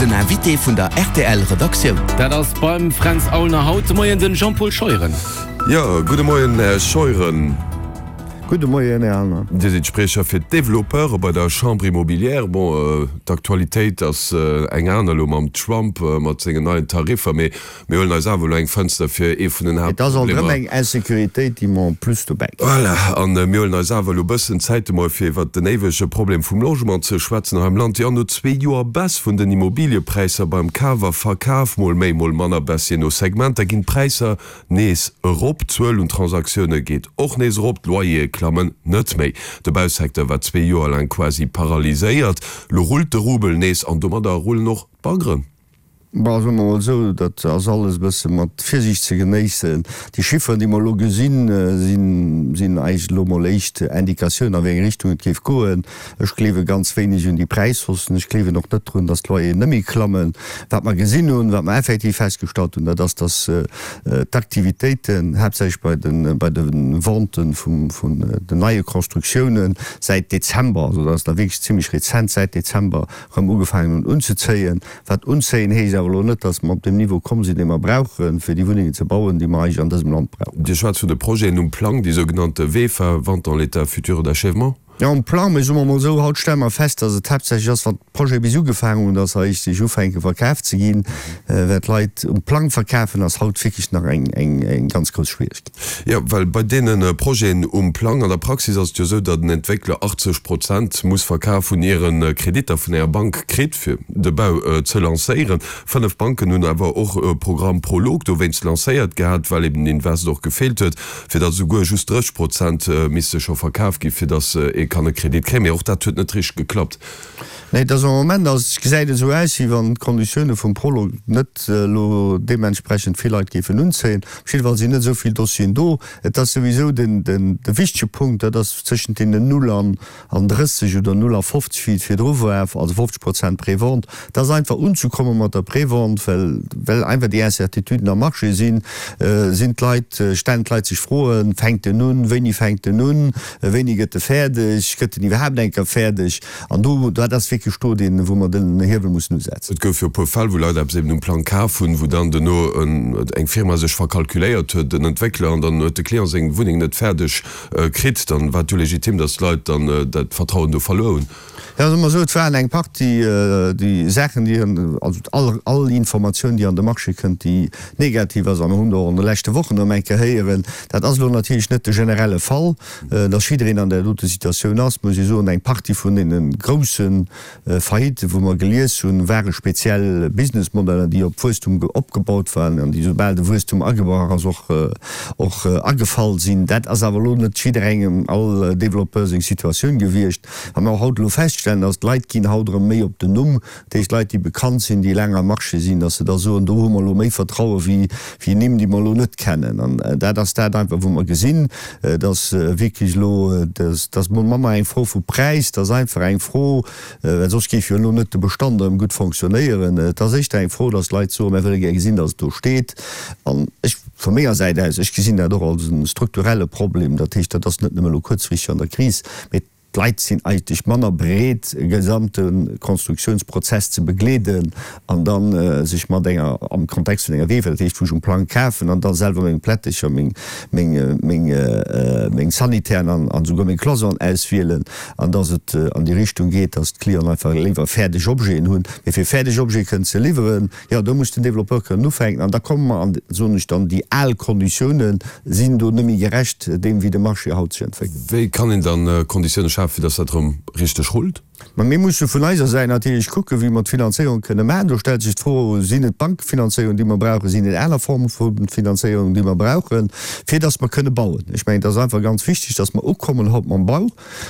Den Invité vun der rtl Redaktioun. Dat ass beim Fränz Aulner haut de Moien den Jean-Paul Scheuren. Jo, gudde Moien Här Scheuren. Gudde Moien Här Aulner. Dir sidd Spriecher fir d'Développeure bei der Chambre Immobilière. Bon, d'Aktualitéit ass eng aner elo mam Trump mat sengen neien Tariffer, mee Mir huelen eis awer elo eng Fënster fir ee vun den Et ass alt erëm Haaptproblemer. eng Insécuritéit, déi mer en plus dobäi kréien. Voilà, a mir huelen eis awer elo e bëssen Zäit emol fir iwwert den éiwege Problem vum Logement ze schwätzen hei am Land. Jo, no zwee Joer Baisse vun den Immobiliëpräisser beim Kaf a Verkaf, mol méi, mol manner Baisse, jee no Segmenter, ginn d'Präisser nees erop. D'Zuel un Transaktioune geet och nees erop, d'Loyere klammen net méi. De Bausecteur war zwee Joer laang quasi paralyséiert. Lo rullt de Rubel nees an domadder rullen och d'Baggeren. Bon, soe mer mol esou, dat ass alles e bësse mat Virsiicht ze genéissen. Déi Chifferen, déi mer elo gesinn, sinn, sinn eigentlech elo mol éischt Indikatiounen, a wéi eng Richtung et géif goen. Ech gleewe ganz wéineg un déi Präishaussen. Ech gleewen och net drun, datt d'Loyeren net méi klammen. Wat mer gesinn hunn, wat mer effektiv festgestallt hunn, dat ass, datt d'Aktivitéiten, haaptsächlech bei de, bei de Venten vum, vun den neie Constructiounen, säit Dezember, also dat ass da wierklech zimlech rezent, säit Dezember erëm ugefaangen hunn unzezéien. Wat unzéien heescht awer elo net, dass mer op deem Niveau komm sinn, dee mer brauchen, fir déi Wunnengen ze bauen, déi mer eigentlech an dësem Land brauchen. Dir schwätzt vun de Projeten um Plang, déi sougenannte VEFA, Vente en l'état futur d'achèvement. Jo, um Plang, mee soe mer emol esou, haut stelle mer fest, dass et haaptsächlech ass, wann d'Projete bis ugefaangen hunn, dass se eréischt sech ufänke verkaf ze ginn, well d'Leit um Plang verkafen ass haut wierklech nach eng ganz grouss Schwieregkeet. Jo, well bei deene Projeten um Plang, an der Praxis ass et jo esou, datt en Entwéckler 80 Prozent muss verkaf hunn, ier en Kreditter vun enger Bank kritt, fir de Bau ze lancéieren. Fënnef Banken hunn awer och e Programm Prolog dowéinst lancéiert gehat, well eben den Invest och gefeelt huet, fir datt esouguer just 30 Prozent misste scho verkaf ginn, fir datt ee kann e Kredit kréien. Mee och dat huet net richteg geklappt. Nee, et ass am Moment ass, gesäit et esou aus, wéi wann d'Konditioune vum Prolog net elo deementsprechend vill Leit géifen unzéien. Op jidde Fall sinn net esou vill Dossieren do. Et ass souwisou den, den, de wichtege Punkt, dat ass tëschent deenen 0 an, an 30 oder 0 a 50, wéi et virdru war, also 50 Prozent Prévente. Et ass einfach unzekomme mat der Prévente, well, well einfach déi Incertituden am Marché sinn, sinn d'Leit, stellen d'Leit sech Froen, Fänkt en un? Wéini fänkt en un? Wéini gëtt e fäerdeg? Gëtt en iwwerhaapt eng Kéier fäerdeg? An do, dat ass wierklech do deen, wou mer den Hiewel mussen usetzen. Et gouf jo e puer Fäll, wou Leit eppes eben um Plang kaf hunn, wou dann duerno eng Firma sech verkalkuléiert huet, en Entwéckler, an dann huet de Client seng Wunneng net fäerdeg kritt. Dann war et jo legitim, datt d'Leit dann dat Vertrauen do verluer hunn. Jo, soe mer esou, et waren eng Partie déi Saachen, déi, also all, all Informatioun, déi an de Marché kënnt, déi negativ ass, a mer hunn der och an de leschte Wochen erëm eng Kéier héieren, dat ass elo natierlech net de generelle Fall, Dass jiddereen an där dote Situatioun ass, muss ee soen. Eng Partie vun deene grousse Faillitten, wou mer gelies hunn, ware speziell Businessmodeller, déi op Wuesstum opgebaut waren an déi, soubal de Wuesstum agebrach ass, och och agefall sinn. Dat ass awer elo net jidderengem, all Développeur seng Situatioun gewiescht. Wat mer och haut elo feststellen, ass, d'Leit ginn haut erëm méi op den Numm. Dat heescht, Leit, déi bekannt sinn, déi laang am Marché sinn, dass se da soen, do hu mer elo méi Vertraue wéi wéi Nimm, déi mer elo net kennen. An dat ass dat einfach, wou mer gesinn, dass wierklech elo, dass dass mol manner eng Fro vu Präis, dass einfach eng Fro, well soss géif jo elo net de Bestand erëm gutt fonctionnéieren. Et ass éischter eng Fro, dass d'Leit soen, mir wëlle gär gesinn, dass et do steet. An ech, vu menger Säit aus, ech gesinn dat och als e strukturelle Problem. Dat heescht, dat ass net nëmme elo kuerzfristeg an der Kris, mee D'Leit sinn eigentlech manner bereet, e gesamte Konstruktiounsprozess ze begleeden an da sech mat enger, am Kontext vun enger VEFA, dat heescht wou ech um Plang kafen an da selwer meng Plättecher, meng, meng, meng, meng Sanitären an, an esouguer meng Cloison'en auswielen an dass et an déi Richtung geet, dass d'Clienten einfach léiwer fäerdeg Objeten hunn. Mee fir fäerdeg Objete kënnen ze liwweren, Jo, do muss den Développeur kënnen ufänken an da komme mer an, soen ech dann, déi al Konditiounen sinn do net méi gerecht deem, wéi de Marché haut sech entwéckelt. Wéi kann een dann Konditioune schafen, fir dass dat erëm richteg rullt? Ma mir musse vun eiser Säit natierlech kucken, wéi mer d'Finanzéierung kënne maachen. Do stellt sech d'Fro, Sinn et Bankfinanzéierungen, déi mer brauchen? Sinn et aner Forme vu Finanzéierung, déi mer brauchen, fir dass mer kënne bauen? Ech mengen, et ass einfach ganz wichteg, dass mer ukommen haut mam Bau.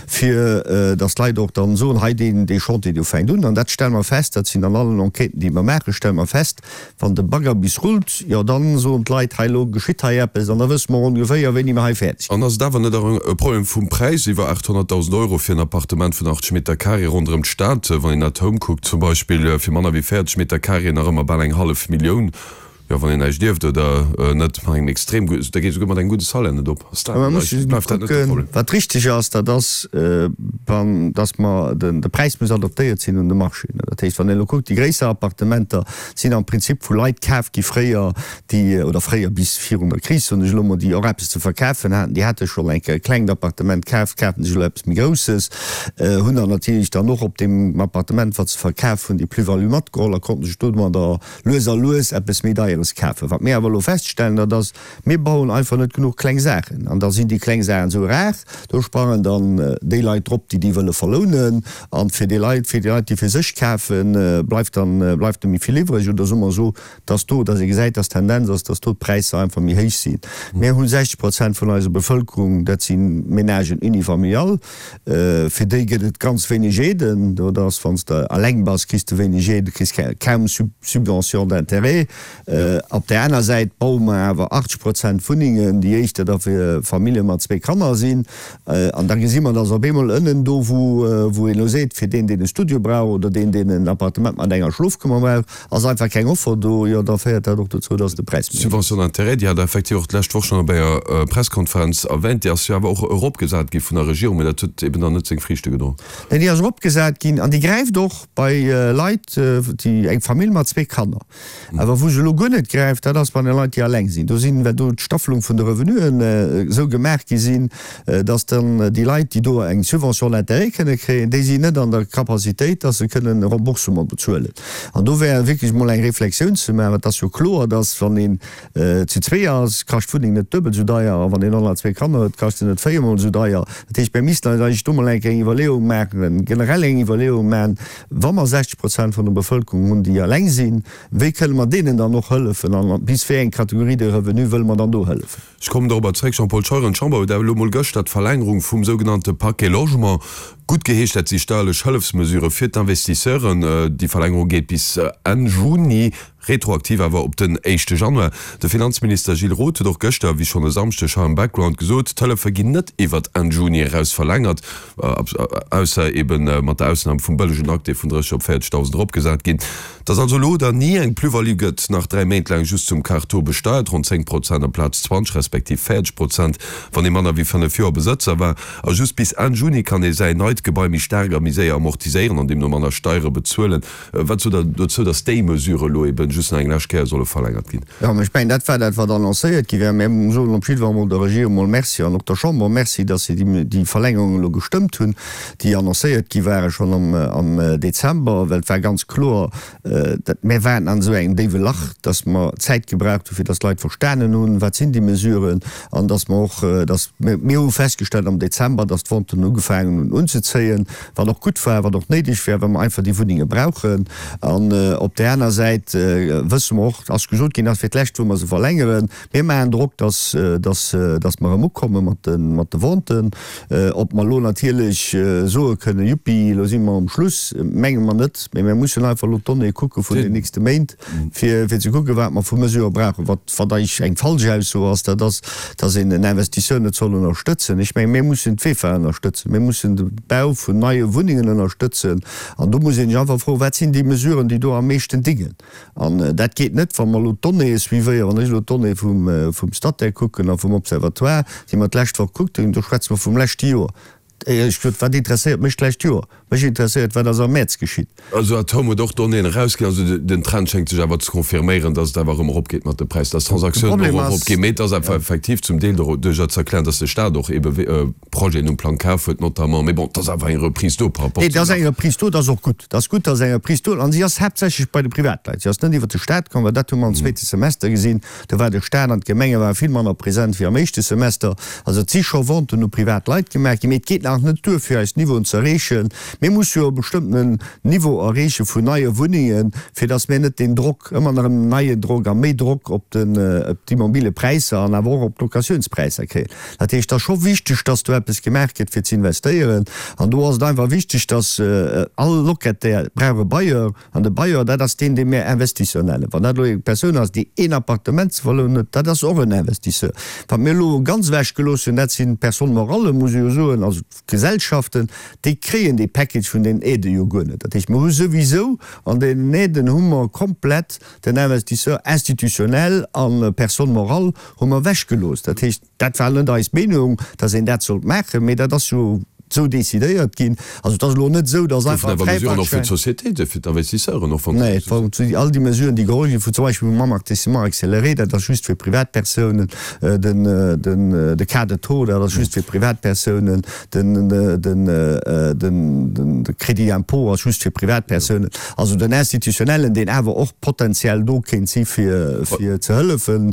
fir datt d'Leit och dann soen, hei deen, dee Chantier do fänkt un. An dat stelle mer fest, dat sinn an allen Enquêten, déi mer maachen, stelle mer fest, wann de Bagger bis rullt, jo dann soen d'Leit, hei elo geschitt hei eppes an da wësse mer ongeféier, wéini mer hei fäerdeg ginn. An ass et awer net och e Problem vum Präis, iwwer 800.000 Euro fir en Appartement vun 80 Meter carré ronderëm d'Stad, wann een At Home kuckt zum Beispill, fir manner wéi 40 Meter carré nach ëmmer bal eng hallef Millioun? Jo, wann een näischt ierft oder net mat engem extrem gudde, da geet esouguer mat engem gudde Salaire net op. Ass dat Mä muss net, bleift dat net de kucken, Problem? wat richteg ass, dat ass, wann, dass mer, den, de Präis muss adaptéiert sinn un de Marché. Dat heescht, wann een elo kuckt, déi gréisser Appartementer sinn am Prinzip vu Leit kaf gi fréier, déi, oder fréier bis virun der Kris, soen ech elo mol, déi och eppes ze verkafen haten, déi hate schonn eng Kéier e klengt Appartement kaf, kafen sech elo eppes méi Grousses, hunn dann natierlech dann och op deem Appartement, wat se verkaf hunn, déi Plus-value matgeholl a konnten sech domadder lues a lues eppes méi Deieres kafen. Wat mir awer elo feststellen, dat ass, mir bauen einfach net genuch kleng Saachen. An da sinn déi kleng Saachen esou rar, do sprangen dann déi Leit drop, déi déi wëlle verlounen. An fir déi Leit, fir déi Leit, déi fir sech kafen, bleift dann, bleift net méi vill iwwreg. Oder soe mer esou, dass do, dass ee gesäit, dass d'Tendenz ass, dass do d'Präisser einfach méi héich sinn. Mir hu 60 Prozent vun eiser Bevëlkerung, dat si Ménagen unifamilial. Fir déi gëtt et ganz wéineg Aiden. Dat ass, wann s de eleng bass, kriss de wéineg Aide, du kriss kaum Subvention d'intérêt. Op där aner Säit baue mer awer 80 Prozent Wunnengen, déi éischter da fir Famillje mat zwee Kanner sinn. An da gesi mer, dass op eemol ënnen do, wou een elo seet, fir deen, deen e Studio brauch oder deen, deen en Appartement mat enger Schlofkummer brauch, Ass einfach keng Offer do, jo da féiert dat och dozou, dass de Präis méi héich ass. D'Subvention d'intérêt, déi hat Der effektiv och d'lescht Woch schonn op enger Presskonferenz erwähnt, déi ass jo awer och eropgesat gi vun der Regierung, mä dat huet eben dann net seng Friichte gedroen. Nee, déi ass eropgesat ginn an déi gräift och bei Leit, déi eng Famill mat zwee Kanner. Awer wou se elo guer net gräift, dat ass bei de Leit, déi alleng sinn. Do sinn, well do d'Staffelung vun de Revenuen esou gemaach gi sinn, dass dann déi Leit, déi do eng Subvention d'intérêt kënne kréien, déi sinn net an der Capacitéit, dass se kënnen e Remboursement bezuelen. An do wär wierklech emol eng Reflexioun ze maachen. Et ass jo kloer, dass wann een zu zwee ass, kascht d'Wunneng net duebel esou deier, a wann een och nach zwee Kanner huet, kascht se net véiermol esou deier. Dat heescht, mir missten eis eigentlech do mol eng Kéier eng Iwwerleeung maachen, generell eng Iwwerleeung maachen, wa mer 60 Prozent vun der Bevëlkerung hunn, déi eleng sinn, wéi kënne mer deenen dann och hëllefen an bis wéi eng Kategorie de revenu wëlle mer dann do hëllefen? Ech kommen dorobber zréck, Jean-Paul Scheuren. D'Chamber huet awer elo mol gëschter d'Verlängerung vum sougenannte Paquet Logement guttgeheescht. Dat si steierlech Hëllefsmesurë fir d'Investisseuren. Déi Verlängerung geet bis Enn Juni, retroaktiv awer op den éischte Januar. De Finanzminister Gilles Roth huet och gëschter, wéi schonn e Samschdeg hei am Background, gesot, d'Hëllefe ginn net iwwert Enn Juni eraus verlängert, ausser eebe mat der Ausnam vum bëllegen Akt, dee vun 30 op 40.000 eropgesat ginn. Dass also elo oder ni eng Plus-value gëtt, nach 3 Méint laang just zum Quart Taux besteiert, ronn 10 Prozent amplaz 20 respektiv 40 Prozent, wann ee manner wéi 5 Joer Besëtzer war. A just bis Enn Juni kann ee säin neit Gebai méi staark a méi séier amortiséieren an deemno manner Steiere bezuelen. Wat sot Der dozou, dass déi Mesure elo eben just nach eng lescht Kéier solle verlängert ginn? Jo, mä ech mengen, dat war dat, wat annoncéiert gi war. Mä mir soen op jiddwer emol der Regierung emol Merci an och der Chamber Merci, dass se déi Verlängerung elo gestëmmt hunn. déi annoncéiert gi ware schonn am Dezember, well et war ganz kloer, dat mir waren an esou engem déiwe Lach, dass mer Zäit gebraucht hu fir dass d'Leit verstanen hunn, wat sinn déi Mesuren an dass mer och, dass mir, mir hu festgestellt am Dezember, dass d'Venten ugefaangen hunn unzezéien, wat och gutt war, wat och néideg war, well mer einfach déi Wunnenge brauchen. An op där aner Säit wësse mer och, ass gesot ginn, ass fir d'lescht wou mer se verlängeren, Mir maachen Drock, dass, dass, dass mer erëm ukomme mat de, mat de Venten. Ob mer elo natierlech soe kënnen, Juppi, elo si mer um Schluss, menge mer net. Mee mir mussen einfach elo d'Donnéeë kucke vun den nächste Méint, fir, fir ze kucken, wat mer vu Mesurë brauchen. Wat, wat eigentlech eng falsch Ausso ass, dat ass, dass een en Investisseur net soll ënnerstëtzen. Ech mengen, mir mussen d'VEFA ënnerstëtzen. Mir mussen de Bau vun neie Wunnengen ënnerstëtzen. An do muss een sech einfach froen, Wat sinn déi Mesuren, déi do am meeschten dingen? An dat geet net, wa mer elo d'Donnéeë suivéieren. Wann ech elo d'Donnéeë vum Statec kucken a vum Observatoire, déi mer d'lescht Woch gekuckt hunn, do schwätze mer vum leschte Joer. Éierlech gesot, wat interesséiert mech d'lescht Joer? Mech interesséiert, wat ass am Mäerz geschitt. Also Atome huet och Donnéeën erausginn. Also den Trend schéngt sech awer ze confirméieren, datt et awer erëm eropgeet mat de Präisser, datt d'Transaktiounen och eropginn. Mee et ass awer effektiv zum Deel doduercher ze erklären, datt de Staat och eebe Projeten um Plang kaf huet notamment. Mee bon, et ass awer eng Reprise do par rapport Nee, et ass eng Reprise do, et ass och gutt. Et ass gutt, dass eng Reprise do, an si ass haaptsächlech bei de Privatleit. Si ass net iwwert de Staat komm, well dat hu mer am zweete Semester gesinn. Do war de Staat an d'Gemenge ware vill manner present wéi am éischte Semester. Also et si scho Venten u privat Leit gemaach ginn, mee et geet nach net duer, fir eis Niveauen ze erreechen. Mir musse jo e bestëmmtenen Niveau erreeche vun neie Wunnengen, fir dass mir net deen Drock, ëmmer nach en neien Drock a méi Drock op den, op d'Immobilepräisser an awer och op d'Locatiounspräisser kréien. Dat heescht, et ass scho wichteg, dass do eppes gemaach gëtt fir ze investéieren. An do ass et einfach wichteg, dass all Locataire brauch e Bailleur. An de Bailleur, dat ass deen, dee mir Investisseur nennen. Wann dat elo eng Persoun ass, déi een Appartement ze verlounen huet, dat ass och en Investisseur. Wat mir elo ganz ewechgelooss hunn, dat sinn d'Personnes morales, muss ee jo soen, also. Gesellschaften, déi kréien dee Package vun den Aidë jo guer net. Dat heescht, mer hu souwisou an deenen Aiden hu mer komplett den Investisseur institutionnel a Personne morale hu mer ewechgelooss. Dat heescht, dat war net eis Meenung, datt een dat sollt maachen, mee dat ass jo esou decidéiert ginn. Also et ass elo net esou, datt einfach e Goufen awer Mesuren och fir d'Sociétéiten, fir d'Investisseuren och, wann Nee, et war all déi Mesuren, déi geholl ginn, zum Beispill vum Amortissement accéléré, dat ass just fir Privatpersounen, den, den, de Cas de taux, dat ass just fir Privatpersounen, den, den, den, de Crédit d'impôt ass just fir Privatpersounen. Also den Institutionnellen, deen awer och potenziell do kéint si fir, fir ze hëllefen,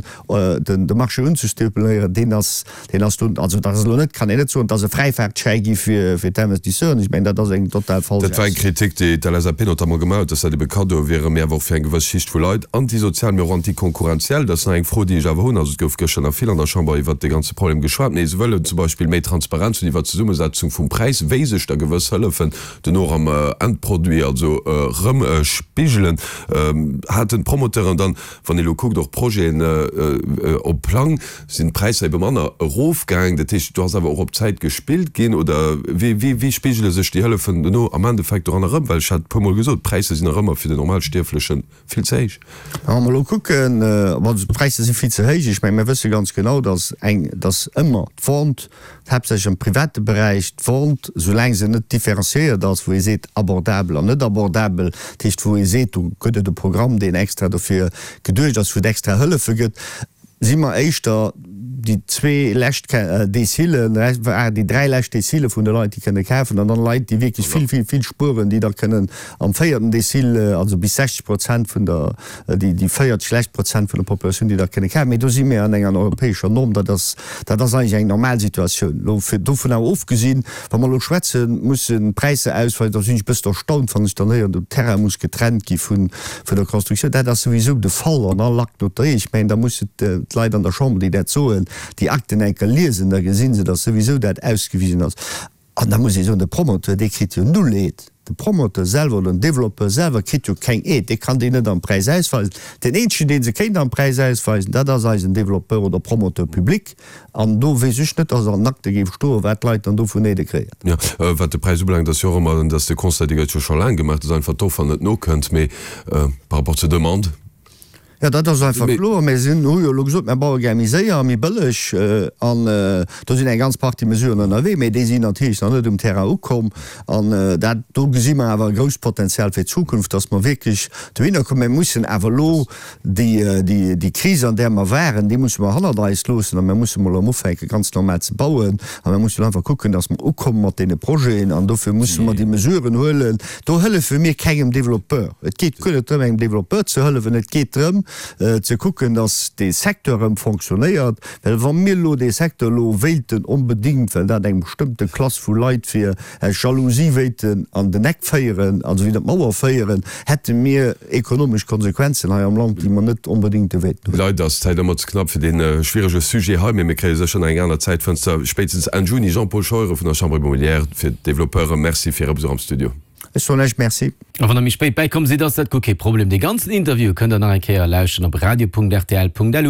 den, de Marché unzestimuléieren, deen ass, Deen ass dunn, also dat ass elo net, kann een net soen, et ass e Fräifaartschäi gi fir d'Investisseuren. Ech mengen, dat ass eng total falsch Dat war eng Ausso. Kritik, déi d'LSAP notamment gemaach huet, dass dat ebe Kaddoe wieren, mee awer och fir eng gewëss Schicht vu Leit, antisozial, mee och antikonkurrenziell. Dat ass nach eng Fro, déi ech awer hunn. Also et gouf gëschter nach vill an der Chamber iwwert dee ganze Problem geschwat, mee se wëllen zum Beispill méi Transparenz hunn iwwert d'Zesummesetzung vum Präis, wéi sech da gewëss Hëllefen duerno och am Endproduit also erëm spigelen. Haten d'Promoteuren dann, wann ee elo kuckt, och Projeten op Plang, Sinn d'Präisser ebe manner erofgaang? Dat heescht, do ass awer och op Zäit gespillt ginn? Oder wéi, wéi spigele sech déi Hëllefen dono am Endeffekt doranner erëm? Well ech hat e puermol gesot, d'Präisser sinn nach ëmmer fir den Normalstierfleche vill ze héich. Wa mer elo kucken, also d'Präisser si vill ze héich. Ech mengen, mir wësse ganz genau, datt eng, datt ëmmer d'Vente, haaptsächlech am private Beräich, d'Vente, soulaang se net différenciéiert ass, wou ee seet abordabel an net abordabel, dat heescht wou ee seet, do gëtt et e Programm, deen extra dofir geduecht ass, wou et extra Hëllefe gëtt, si mer éischter déi zwee lescht Decilen, déi dräi lescht Decile vun de Leit, déi kënne kafen, an dann Leit, déi wierklech vill, vill, vill spueren, déi da kënnen am véierten Decil, also bis 60 Prozent vun der, déi, déi 40 lescht Prozent vun der Populatioun, déi da kënne kafen. Mee do si mir an enger europäescher Norm. Dat ass, dat ass eigentlech eng normal Situatioun. Elo fir, dovun awer ofgesinn, Wa mer elo schwätzen, mussen d'Präisser ausfalen, da sinn ech e bëssen erstaunt, wann ech dann héieren, den Terrain muss getrennt gi vun der Constructioun. Dat ass souwisou de Fall an all Acte notarié. Ech mengen, da mussen d'Leit an der Chamber, déi dat soen, déi Akten eng Kéier liesen, da gesi se, datt souwisou dat ausgewisen ass. An da muss ee soen, de Promoteur, dee kritt jo null Aide. De Promoteur selwer oder den Développeur selwer kritt jo keng Aide, dee kann déi net am Präis ausweisen. Deen eenzegen, dee se kéint am Präis ausweisen, dat ass eisen Développeur oder Promoteur public. An do weess ech net, dass an den Akte géif stoen, wat d'Leit dann do vun Aidë kréien. Jo, wat de Präis ubelaangt, ass jo och ëmmer, dass de Constat, dee gëtt jo scho laang gemaach, dass einfach d'Offer net nokënnt, mee par rapport zur Demande. Jo, dat ass einfach kloer. Mir sinn, hu jo elo gesot, mir baue gär méi séier a méi bëlleg. An do sinn eng ganz Partie Mesuren ënnerwee, mee déi sinn natierlech nach net um Terrain ukomm. An dat, do gesi mer awer e grousst Potenzial fir d'Zukunft, dass mer wierklech dohinner kommen. Mir mussen awer elo déi, déi, déi Kris, an där mer waren, déi musse mer hannert eis loossen a mir musse mol erëm ufänke ganz normal ze bauen. A mir mussen einfach kucken, dass mer ukomme mat deene Projeten. An dofir musse mer déi Mesuren huelen. Do hëllefe mir kengem Développeur. Et geet guer net drëm, engem Développeur ze hëllefen. Et geet drëm, ze kucken, datt dee Secteur erëm fonctionnéiert. Well wa mir elo dee Secteur elo wéilten onbedéngt, well dat eng bestëmmte Klass vu Leit wier, aus Jalousie wéilten an den Eck féieren, also widder d'Mauer féieren, hätte mir ekonomesch Konsequenzen hei am Land, déi mer net onbedéngte wéilten hunn. Leider ass d'Zäit ëmmer ze knapp fir dee schwierege Sujet hei, mee mir kréie sécher nach eng aner Zäitfënster, spéitstens Enn Juni. Jean-Paul Scheuren vun der Chambre immobilière fir d'Développeuren, Merci fir Äre Besuch am Studio. Ech soen lech Merci. A wann der méi spéit bäikomm sidd, ass dat guer kee Problem. Dee ganzen Interview kënnt der nach eng Kéier lauschteren op radio.rtl.lu.